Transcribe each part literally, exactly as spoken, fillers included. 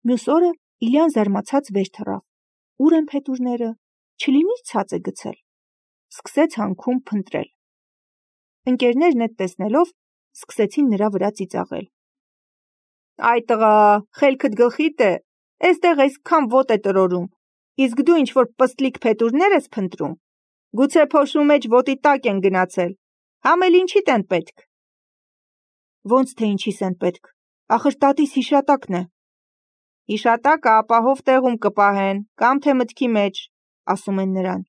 Մյուս օրը Իլյան զարմացած վեր թռավ. ուր են փետուրները, չլինի ցած է գցել։ Սկսեց հանքում փնտրել։ Ընկերներն այդ տեսնելով սկսեցին նրա վրա ծիծաղել։ Այ տղա, խելքդ գլխիդ է, էստեղ այսքան ոտ է տրորում, իսկ դու ինչ-որ պստլիկ փետուրներ ես փնտրում, գուցե փոշու մեջ ոտի տակ են գնացել, համ էլ ինչիդ են պետք։ Ոնց թե ինչիս են պետք, ախր տատիս հիշատակն է։ Հիշատակը ապահով տեղում կպահեն, կամ թե մտքի մեջ, ասում են նրան,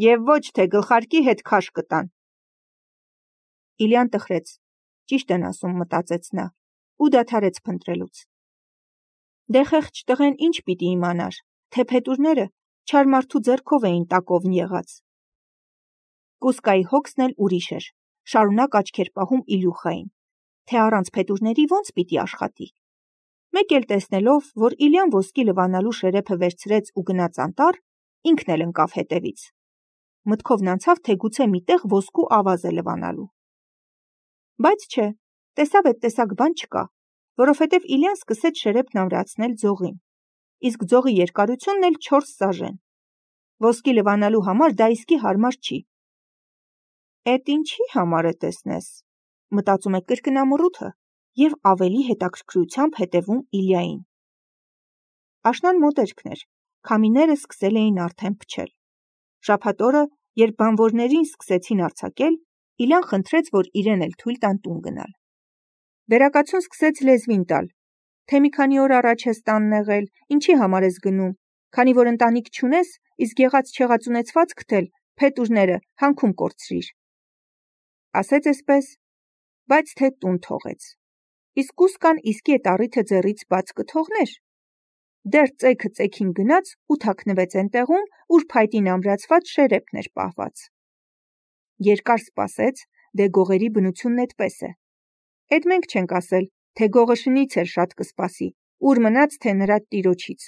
և ոչ թե գլխարկի հետ քաշ կտան։ Իլյան տխրեց, ճիշտ են ասում, մտածեց նա, ու դադարեց փնտրելուց։ Դե խեղճ տղեն ինչ պիտի իմանար, թե փետուրները չար մարդու ձեռքով էին տակովն եղած։ Կուսկայի հոգսն էլ ուրիշ էր, շարունակ աչքեր պահում Իլյուխային, թե առանց փետուրների ոնց պիտի աշխատի։ Մեկ էլ տեսնելով, որ Իլյան ոսկի լվանալու շերեփը վերցրեց ու գնաց անտառ, ինքն էլ ընկավ հետևից։ Մտքովն անցավ, թե գուցե միտեղ ոսկու ավազ է լվանալու։ Բայց չէ, տեսավ այդ տեսակ բան չկա, որովհետև Իլյան սկսեց շերեփն ամրացնել ձողին, իսկ ձողի երկարությունն էլ չորս սաժեն։ Ոսկի լվանալու համար դա իսկի հարմար չի։ Էդ ինչի համար է տեսնես, մտածում է կրկնամռութը և ավելի հետաքրքրությամբ հետևում Իլյային։ Աշնան մոտերքն էր, քամիները սկսել էին արդեն փչել։ Շաբաթ օրը, երբ բանվորներին սկսեցին արձակել, Իլյան խնդրեց, որ իրեն էլ թույլ տան տուն գնալ։ Վերակացուն սկսեց լեզվին տալ, թե մի քանի օր առաջ ես տանն եղել, ինչի համար ես գնում, քանի որ ընտանիք չունես, իսկ եղած չեղած ունեցվածքդ էլ, փետուրները, հանքում կորցրիր։ Ասեց էսպես, բայց թե տուն թողեց։ Իսկ կուսկան իսկի այդ առիթը ձեռից բաց կթողներ։ Դեռ ծեքը ծեքին գնաց ու թաքնվեց այնտեղում, ուր փայտին ամրացված շերեփն էր պահված։ Երկար սպասեց, դե գողերի բնությունն էդպես է։ Էդ մենք չենք ասել, թե գողը շնից էլ շատ կսպասի, ուր մնաց, թե նրա տիրոջից։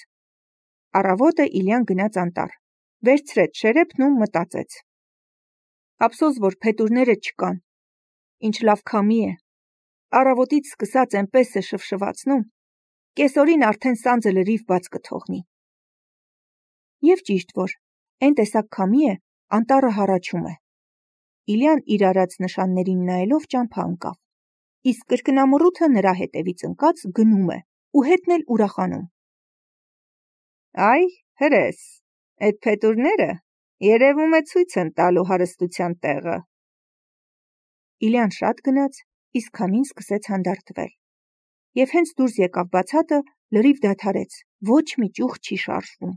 Առավոտը Իլյան գնաց անտառ, վերցրեց շերեփն ու մտածեց. Ափսոս, որ փետուրները չկան։ Ինչ լավ քամի է։ Առավոտից սկսած այնպես է շվշվացնում, կեսօրին արդեն սանձը լրիվ բաց կթողնի։ Եվ ճիշտ որ, այն տեսակ քամի է, անտառը հառաչում է։ Իլյան իր արած նշաններին նայելով ճամփա ընկավ, իսկ կրկնամռութը նրա հետևից ընկած գնում է ու հետն էլ ուրախանում։ Այ, հրես, այդ փետուրները երևում է ցույց են տալու հարստության տեղը։ Իլյան շատ գնաց, իսկ քամին սկսեց հանդարտվել։ Եվ հենց դուրս եկավ բացատը, լրիվ դադարեց, ոչ մի ճյուղ չի շարժվում։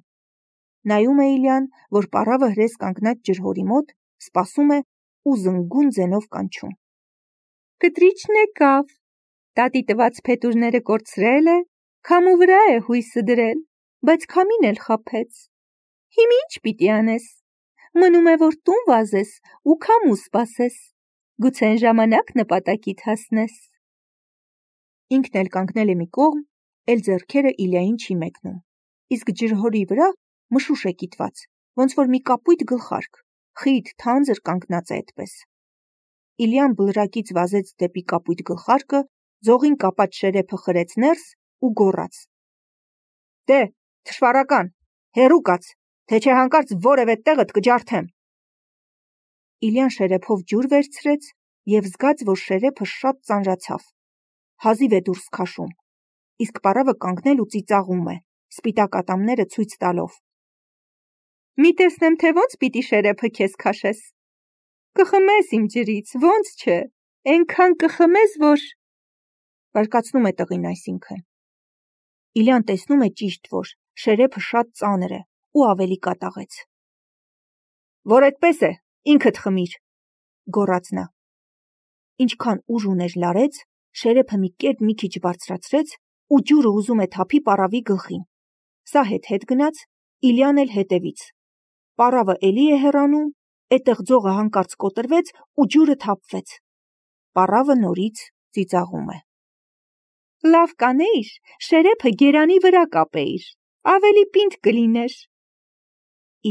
Նայում է Իլյան, որ պառավը հրես կանգնած ջրհորի մոտ, սպասում է ու զնգուն ձենով կանչում։ Կտրիչն եկավ, տատի տված փետուրները կորցրել է, քամու վրա է հույսը դրել, բայց քամին էլ խաբեց։ Հիմա ինչ պիտի անես։ Մնում է, որ տուն վազես ու քամու սպասես, գուցե այն ժամանակ նպատակիդ հասնես։ Ինքն էլ կանգնել է մի կողմ, էլ ձեռքերը Իլյային չի մեկնում, իսկ ջրհորի վրա մշուշ է կիտված, ոնց որ մի կապույտ գլխարկ, խիտ թանձր կանգնած է այդպես։ Իլյան բլրակից վազեց դեպի կապույտ գլխարկը, ձողին կապած շերեփը խրեց ներս ու գոռաց. Դե, թշվառական, հեռու կաց, թե չէ հանկարծ որևէ տեղդ կջարդեմ։ Իլյան շերեփով ջուր վերցրեց և զգաց, որ շերեփը շատ ծանրացավ։ Հազիվ է դուրս քաշում, իսկ պառավը կանգնել ու ծիծաղում է, սպիտակ ատամները ցույց տալով։ Մի տեսնեմ, թե ոնց պիտի շերեփը քեզ քաշես։ Կխմես իմ ջրից, ոնց չէ, այնքան կխմես, որ… Բարկացնում է տղին այսինքն։ Իլյան տեսնում է ճիշտ, որ շերեփը շատ ծանր է ու ավելի կատաղեց։ Որ այդպես է, ինքդ խմիր, գոռաց նա։ Ինչքան ուժ ուներ լարեց, շերեփը մի կերպ մի քիչ բարձրացրեց ու ջուրը ուզում է թափի պառավի գլխին։ Սա հետ-հետ գնաց, Իլյան էլ հետևից։ Պառավը էլի է հեռանում, այդտեղ ձողը հանկարծ կոտրվեց ու ջուրը թափվեց։ Պառավը նորից ծիծաղում է։ Լավ կանեիր, շերեփը գերանի վրա կապեիր, ավելի պինդ կլիներ։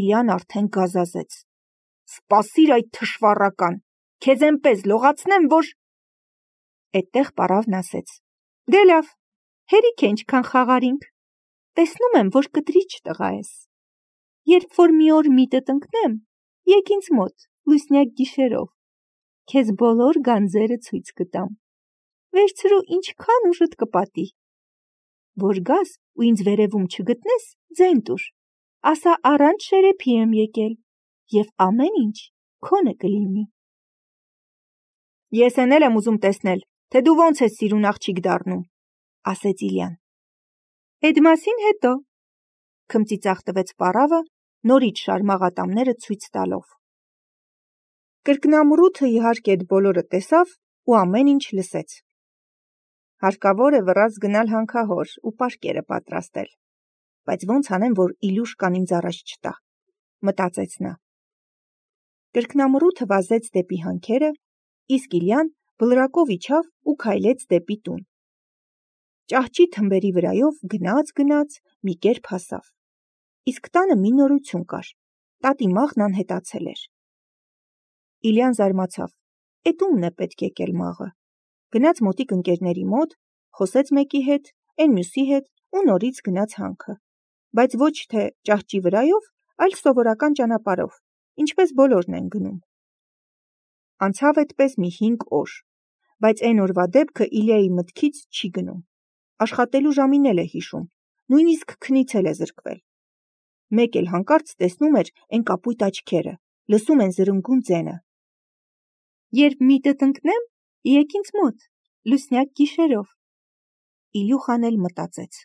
Իլյան արդեն գազազեց։ Սպասիր այդ թշվառական, քեզ այնպես լողացնեմ, որ… Այդտեղ պառավն ասեց. Դե լավ, հերիք է ինչքան խաղարինք, տեսնում եմ, որ կտրիչ տղա ես։ Երբ որ մի օր միտդ ընկնեմ, եկ ինձ մոտ, լուսնյակ գիշերով, քեզ բոլոր գանձերը ցույց կտամ։ Վերցրու ինչքան ուժդ կպատի։ Որ գաս ու ինձ վերևում չգտնես, ձայն տուր, ասա առանց շերեփի եմ եկել, և ամեն ինչ քոնը կլինի։ Ես էն էլ եմ ուզում տեսնել, թե դու ոնց ես սիրուն աղջիկ դառնում, ասեց Իլյան։ Էդ մասին հետո, քմծիծաղ տվեց պառավը, նորից շարմաղ ատամները ցույց տալով։ Կրկնամռութը իհարկե այդ բոլորը տեսավ ու ամեն ինչ լսեց։ Հարկավոր է վռած գնալ հանքահոր ու պարկերը պատրաստել, բայց ոնց անեմ, որ Իլյուշկան ինձ առաջ չտա, մտածեց նա։ Կրկնամռութը վազեց դեպի հանքերը, իսկ Իլյան բլրակով իջավ ու քայլեց դեպի տուն։ Ճահճի թմբերի վրայով գնաց-գնաց մի կերպ հասավ։ Իսկ տանը մի նորություն կար, տատի մաղն անհետացել էր։ Իլյան զարմացավ, էդ ումն է պետք եկել մաղը։ Գնաց մոտիկ ընկերների մոտ, խոսեց մեկի հետ, էն մյուսի հետ ու նորից գնաց հանքը, բայց ոչ թե ճահճի վրայով, այլ սովորական ճանապարհով, ինչպես բոլորն են գնում։ Անցավ այդպես մի հինգ օր, բայց էն օրվա դեպքը Իլյայի մտքից չի գնում։ Աշխատելու ժամին էլ է հիշում, նույնիսկ քնից էլ է զրկվել։ Մեկ էլ հանկարծ տեսնում էր էն կապույտ աչքերը, լսում են զրնգուն ձենը։ Երբ միտդ ընկնեմ, եկ ինձ մոտ, լուսնյակ գիշերով։ Իլյուխան էլ մտածեց.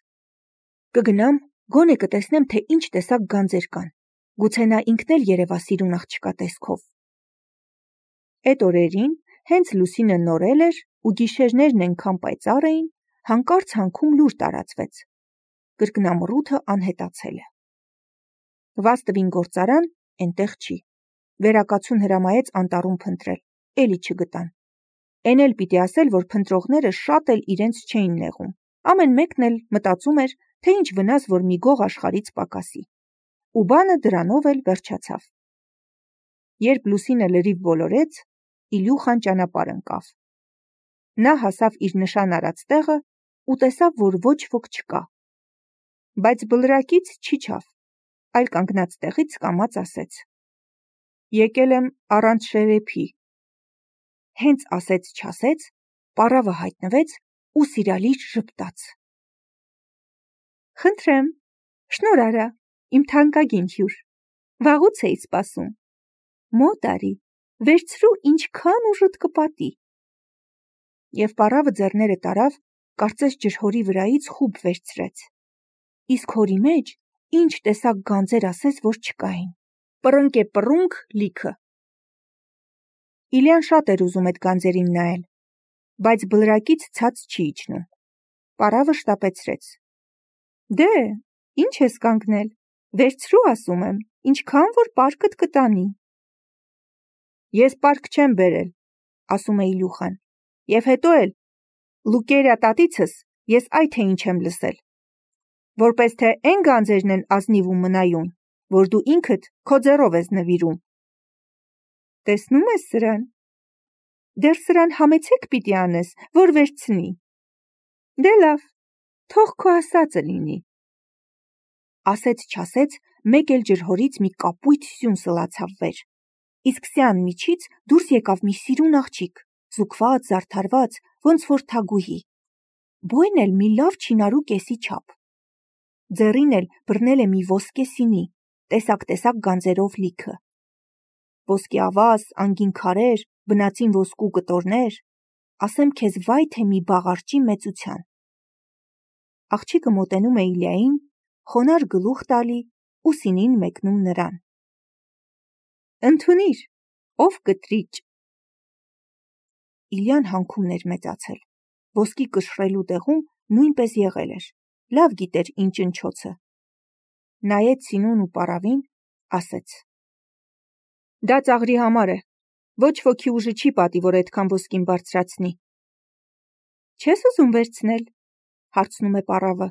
կգնամ, գոնե կտեսնեմ, թե ինչ տեսակ գանձեր կան, գուցե նա ինքն էլ երևա սիրուն աղջկա տեսքով։ Էդ օրերին, հենց լուսինը նորել էր ու գիշերներն ենքան պայծառ էին, հանկարծ հանքում լուր տարածվեց. կրկնամռութը անհետացել է։ Վաստվին գործարան էնտեղ չի։ Վերակացուն հրամայեց անտառում փնտրել, էլի չգտան։ Էն էլ պիտի ասել, որ փնտրողները շատ էլ իրենց չէին նեղում, ամեն մեկն էլ մտածում էր, թե ինչ վնաս, որ մի գող աշխարհից պակասի։ Ու բանը դրանով էլ վերջացավ։ Երբ լուսինը լրիվ բոլորեց, Իլյուխան ճանապարհ ընկավ։ Նա հասավ իր նշան արած տեղը ու տեսավ, որ ոչ ոք չկա։ Բայց բլրակից չիջավ, այլ կանգնած տեղից կամաց ասեց. եկել եմ առանց շերեփի։ Հենց ասեց-չասեց, պառավը հայտնվեց ու սիրալիր ժպտաց։ Խնդրեմ, շնոր արա, իմ թանկագին հյուր, վաղուց էի սպասում։ Մոտ արի, վերցրու ինչքան ուժդ կպատի։ Եվ պառավը ձեռները տարավ, կարծես ջրհորի վրայից խուբ վերցրեց։ Իսկ հորի մեջ ինչ տեսակ գանձեր ասես, որ չկային։ Պռնկ է պռունկ լիքը։ Իլյան շատ էր ուզում այդ գանձերին նայել, բայց բլրակից ցած չի իջնում։ Պառավը շտապեցրեց. Դե, ինչ ես կանգնել, վերցրու ասում եմ, ինչքան որ պարկդ կտանի։ Ես պարկ չեմ բերել, ասում է Իլյուխան, և հետո էլ Լուկերիա տատիցս ես այ թե ինչ եմ լսել, որպես թե էն գանձերն են ազնիվ ու մնայուն, որ դու ինքդ քո ձեռով ես նվիրում։ Տեսնում ես սրան։ Դեռ սրան համեցեք պիտի անես, որ վերցնի։ Դե լավ, թող քո ասածը լինի։ Ասեց-չասեց, մեկ էլ ջրհորից մի կապույտ սյուն սլացավ վեր, իսկ սյան միջից դուրս եկավ մի սիրուն աղջիկ, զուգված, զարդարված, ոնց որ թագուհի, բույն էլ մի լավ չինարու կեսի չափ։ Ձեռին էլ բռնել է մի ոսկե սինի, տեսակ-տեսակ գանձերով լիքը։ Ոսկե ավազ, անգին քարեր, բնածին ոսկու կտորներ, ասեմ քեզ վայ թե մի բաղարջի մեծության։ Աղջիկը մոտենում է Իլյային, խոնար գլուխ տալի ու սինին մեկնում նրան։ Ընդունիր, ով կտրիչ։ Իլյան հանքումն էր մեծացել, ոսկի կշռելու տեղում նույնպես եղել էր, լավ գիտեր ինչ ընչոցը։ Նայեց սինուն ու պառավին, ասեց. Դա ծաղրի համար է, ոչ ոքի ուժը չի պատի, որ այդքան ոսկին բարձրացնի։ Չես ուզում վերցնել, հարցնում է պառավը։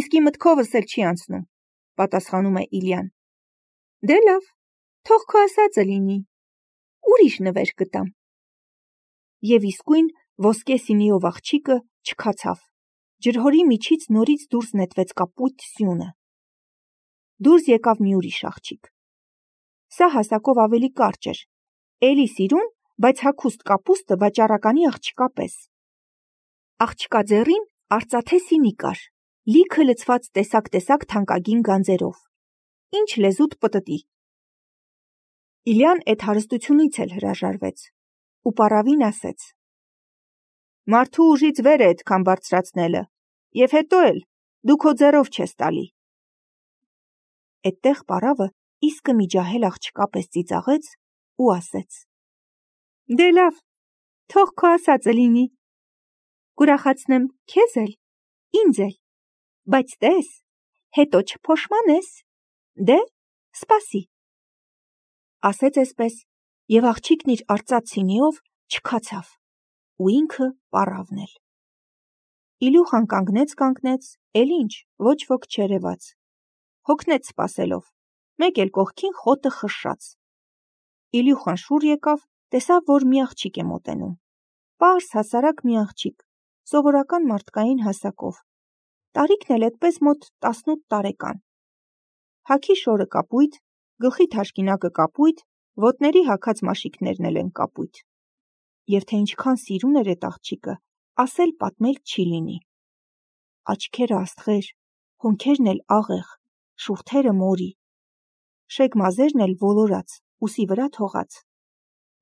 Իսկի մտքովս էլ չի անցնում, պատասխանում է Իլյան։ Դե լավ, թող քո ասածը լինի, ուրիշ նվեր կտամ։ Եվ իսկույն ոսկե սինիով աղջիկը չքացավ, Ջրհորի միջից նորից դուրս նետվեց կապույտ սյունը։ Դուրս եկավ մի ուրիշ աղջիկ։ Սա հասակով ավելի կարճ էր, էլի սիրուն, բայց հագուստ կապուստը վաճառականի աղջկա պես։ Աղջկա ձեռին արծաթե սինի կար, լիքը լցված տեսակ-տեսակ թանկագին գանձերով։ Ինչ լեզուտ պտտի։ Իլյան էդ հարստությունից էլ հրաժարվեց ու պառավին ասեց. «Մարդու ուժից վեր է այդքան բարձրացնելը, և հետո էլ դու քո ձեռով չես տալի»։ Էդտեղ պառավը իսկը մի ջահել աղջկա պես ծիծաղեց ու ասեց. «Դե լավ, թող քո ասածը լինի, կուրախացնեմ քեզ էլ, ինձ էլ, բայց տես, հետո չփոշմանես, դե, սպասի»։ Ասեց էսպես, և աղջիկն իր արծաթ սինիով չքացավ, ու ինքը պառավն էլ։ Իլյուխան կանգնեց-կանգնեց, էլ ինչ, ոչ ոք չերևաց, հոգնեց սպասելով, մեկ էլ կողքին խոտը խշշաց։ Իլյուխան շուռ եկավ, տեսավ, որ մի աղջիկ է մոտենում, պարզ հասարակ մի աղջիկ, սովորական մարդկային հասակով, տարիքն էլ էդպես մոտ տասնութ տարեկան։ Հագի շորը կապույտ, գլխի թաշկինակը կապույտ, ոտների հագած մաշիկներն էլ են կապույտ։ Եվ թե ինչքան սիրուն էր էդ աղջիկը, ասել պատմել չի լինի։ Աչքերը աստղեր, հոնքերն էլ աղեղ, շուրթերը մորի, շեկ մազերն էլ ոլորած, ուսի վրա թողած,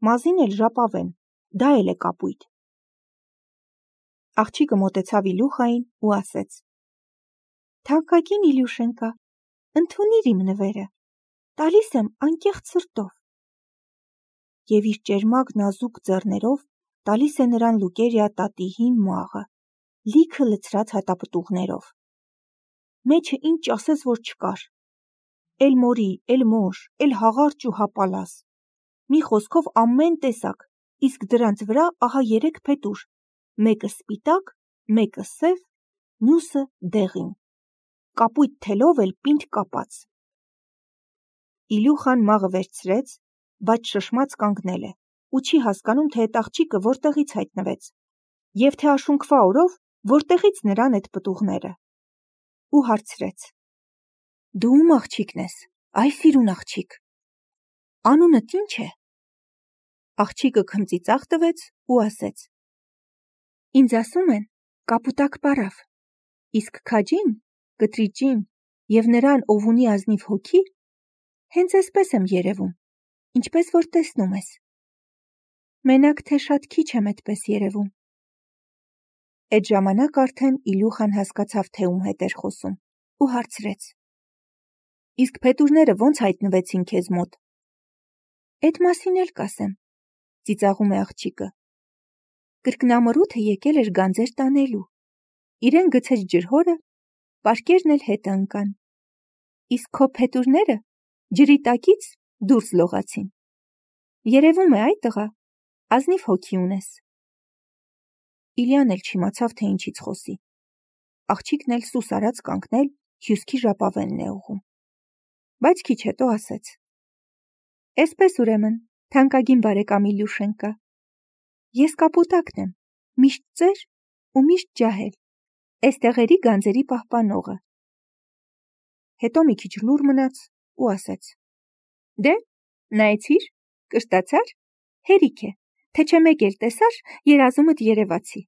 մազին էլ ժապավեն, դա էլ է կապույտ։ Աղջիկը մոտեցավ Իլյուխային ու ասեց. «Թանկագին Իլյուշենկա, ընդունիր իմ նվերը, տալիս եմ անկեղծ սրտով»։ Եվ իր ճերմակ նազուկ ձեռներով տալիս է նրան Լուկերիա տատի հին մաղը, լիքը լցրած հատապտուղներով։ Մեջը ինչ ասես որ չկար, էլ մորի, էլ մոշ, էլ հաղարճ ու հապալաս, մի խոսքով ամեն տեսակ, իսկ դրանց վրա ահա երեք փետուր, մեկը սպիտակ, մեկը սև, մյուսը դեղին, կապույտ թելով էլ պինդ կապած։ Իլյուխան մաղը վերցրեց, բայց շշմած կանգնել է ու չի հասկանում, թե այդ աղջիկը որտեղից հայտնվեց, և թե աշունքվա օրով որտեղից նրան այդ պտուղները, ու հարցրեց. «Դու ում աղջիկն ես, այ սիրուն աղջիկ, անունդ ի՞նչ է»։ Աղջիկը քմծիծաղ տվեց ու ասեց. «Ինձ ասում են կապուտակ պառավ, իսկ քաջին, կտրիճին և նրան, ով ունի ազնիվ հոգի, հենց այսպես եմ երևում, ինչպես որ տեսնում ես։ Մենակ թե շատ քիչ եմ էդպես երևում»։ Էդ ժամանակ արդեն Իլյուխան հասկացավ, թե ում հետ էր խոսում, ու հարցրեց. «Իսկ փետուրները ոնց հայտնվեցին քեզ մոտ»։ «Էդ մասին էլ կասեմ», ծիծաղում է աղջիկը։ «Կրկնամռութը եկել էր գանձեր տանելու, իրեն գցեց ջրհորը, պարկերն էլ հետը ընկան, իսկ քո փետուրները ջրի տակից դուրս լողացին։ Երևում է, այ տղա, ազնիվ հոգի ունես»։ Իլյան էլ չիմացավ, թե ինչից խոսի։ Աղջիկն էլ սուս արած կանգնել, հյուսքի ժապավենն է ուղղում։ Բայց քիչ հետո ասեց. «Էսպես ուրեմն, թանկագին բարեկամ Իլյուշենկա, ես կապուտակն եմ, միշտ ծեր ու միշտ ջահել, էս տեղերի գանձերի պահպանողը»։ Հետո մի քիչ լուռ մնաց ու ասեց. «Դե, նայեցի՞ր, կշտացա՞ր, հերիք է, թե չէ մեկ էլ տեսար, երազումդ երևացի»։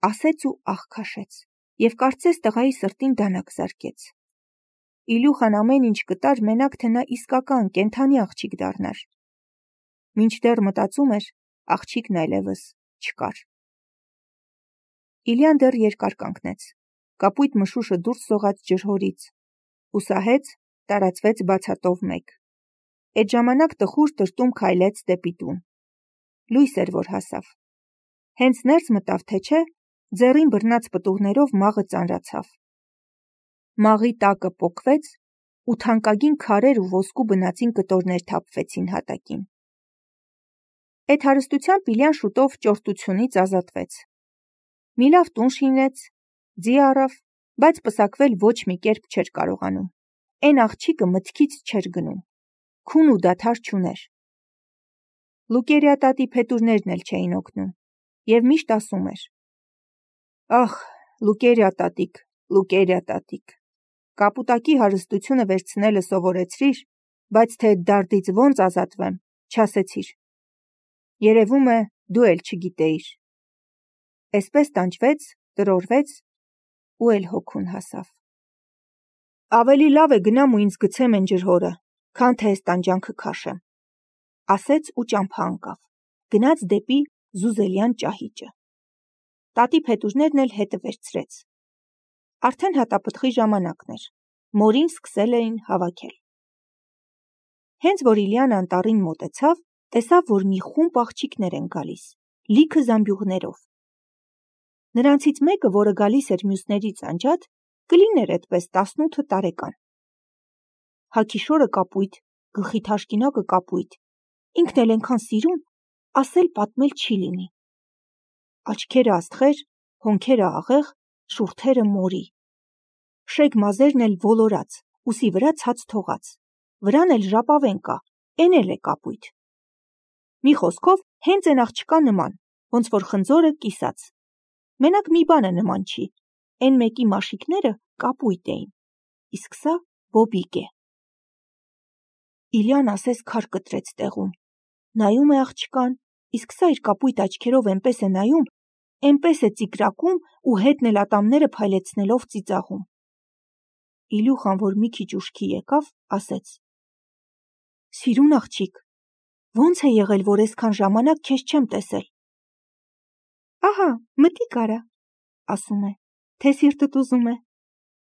Ասեց ու ահ քաշեց, և կարծես տղայի սրտին դանակ զարկեց։ Իլյուխան ամեն ինչ կտար, մենակ թե նա իսկական, կենդանի աղջիկ դառնար։ Մինչդեռ մտածում էր, աղջիկն այլևս չկար։ Իլյան դեռ երկար կանգնեց, կապույտ մշուշը դուրս սողաց ջրհորից, հուսահեց, տարածվեց բացատով մեկ։ Էդ ժամանակ տխուր տրտում քայլեց դեպի տուն։ Լույս էր, որ հասավ։ Հենց ներս մտավ, թե չէ, ձեռին բռնած պտուղներով մաղը ծանրացավ։ Մաղի տակը պոկվեց, ու թանկագին քարեր ու ոսկու բնածին կտորներ թափվեցին հատակին։ Էդ հարստությամբ Իլյան շուտով ճորտությունից ազատվեց։ Մի լավ տուն շինեց, ձի առավ, բայց պսակվել ոչ մի կերպ չէր կարողանում։ Էն աղջիկը մտքից չէր գնում, քուն ու դադար չուներ։ Լուկերիա տատի փետուրներն էլ չէին օգնում, և միշտ ասում էր. Ախ, Լուկերիա տատիկ, Լուկերիա տատիկ, կապուտակի հարստությունը վերցնելը սովորեցրիր, բայց թե դարդից ոնց ազատվեմ, չասեցիր։ Երևում է, դու էլ չգիտեիր։ Էսպես տանջվեց, տրորվեց ու էլ հոգուն հասավ։ Ավելի լավ է գնամ ու ինձ գցեմ են ջրհորը, քան թե այս տանջանքը քաշեմ, ասեց ու ճամփա ընկավ, գնաց դեպի զուզելյան ճահիճը։ Տատի փետուրներն էլ հետը վերցրեց։ Արդեն հատապտղի ժամանակն էր, մորին սկսել էին հավաքել։ Հենց որ Իլյան անտառին մոտեցավ, տեսավ, որ մի խումբ աղջիկներ են գալիս, լիքը զամբյուղներով։ Նրանցից մեկը, որը գալիս էր մյուսներից անջատ, կլիներ այդպես տասնութ տարեկան։ Հագիշորը կապույտ, գլխի թաշկինակը կապույտ, ինքն էլ ենքան սիրուն, ասել պատմել չի լինի։ Աչքերը աստղեր, հոնքերը աղեղ, շուրթերը մորի։ Շեկ մազերն էլ ոլորած, ուսի վրա ցած թողած, վրան էլ ժապավեն կա, էն էլ է կապույտ։ Մի խոսքով հենց են աղջկա նման, ոնց որ խնձորը կիսած։ Մենակ մի բանը նման չի, էն մեկի մաշիկները կապույտ էին, իսկ սա բոբիկ է։ Իլյան ասես քար կտրեց տեղում, նայում է աղջկան, իսկ սա իր կապույտ աչքերով էնպես է նայում, էնպես է ծիկրակում ու հետն էլ ատամները փայլեցնելով ծիծաղում։ Իլյուխան, որ մի քիչ ուշքի եկավ, ասեց. Սիրուն աղջիկ, ոնց է եղել, որ այսքան ժամանակ քեզ չեմ տեսել։ Ահա, մտիկ արա, ասում է, թե սիրտդ ուզում է։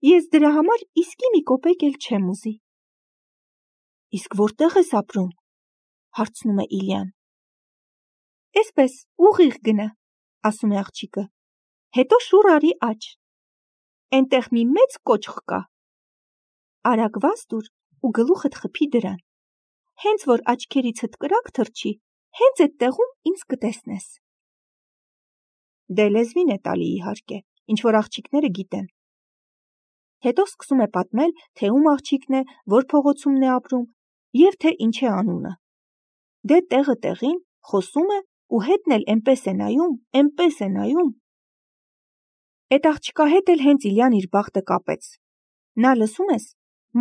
Ես դրա համար իսկի մի կոպեկ էլ չեմ ուզի։ Իսկ որտեղ ես ապրում, հարցնում է Իլյան։ Էսպես ուղիղ գնա, ասում է աղջիկը, հետո շուռ արի աջ։ Էնտեղ մի մեծ կոճղ կա։ Արագ վազ դուր ու գլուխդ խփի դրան։ Հենց որ աչքերիցդ կրակ թռչի, հենց այդ տեղում ինձ կտեսնես։ Դե լեզվին է տալի իհարկե, ինչ որ աղջիկները գիտեն։ Հետո սկսում է պատմել, թե ում աղջիկն է, որ փողոցումն է ապրում, եւ թե ինչ է անունը։ Դե տեղը տեղին խոսում է ու հետն էլ էնպես է նայում, էնպես է նայում։ Այդ աղջկա հետ էլ հենց Իլյան իր բախտը կապեց։ Նա, լսում ես,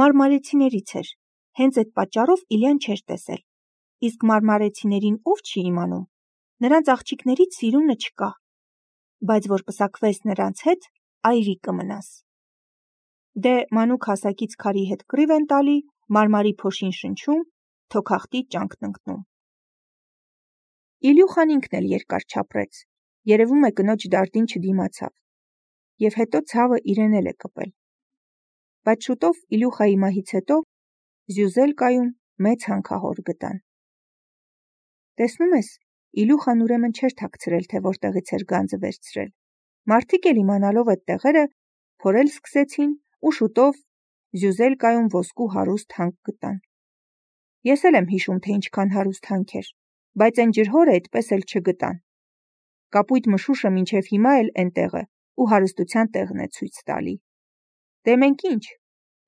մարմարեցիներից էր, հենց այդ պատճառով Իլյան չէր տեսել։ Իսկ մարմարեցիներին ով չի իմանում, նրանց աղջիկներից սիրունը չկա, բայց որ պսակվես նրանց հետ, այրի կմնաս։ Դե մանուկ հասակից քարի հետ կռիվ են տալի, մարմարի փոշին շնչում, թոքախտի ճանկն ընկնում։ Իլյուխան ինքն էլ երկար չապրեց, երևում է կնոջ դարդին չդիմացավ, եւ հետո ցավը իրեն էլ է կպել։ Բայց շուտով Իլյուխայի մահից հետո Զյուզելկայում մեծ հանքահոր գտան։ Տեսնում ես, Իլյուխան ուրեմն չէր թաքցրել, թե որտեղից էր գանձը վերցրել։ Մարդիկ էլ իմանալով այդ տեղերը, փորել սկսեցին ու շուտով Զյուզելկայում ոսկու հարուստ հանք գտան։ Ես էլ եմ հիշում, թե ինչքան հարուստ հանք էր, բայց այն ջրհորը այդպես էլ չգտան։ Կապույտ մշուշը մինչև հիմա էլ էնտեղ է ու հարստության տեղն է ցույց տալի։ Դե մենք ինչ,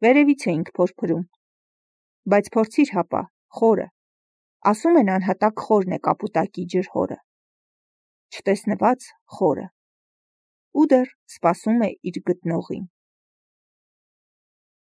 վերևից էինք փորփրում։ Բայց փորձիր հապա, խորը։ Ասում են անհատակ խորն է կապուտակի ջրհորը։ Չտեսնված խորը։ Ու դեռ սպասում է իր գտնողին։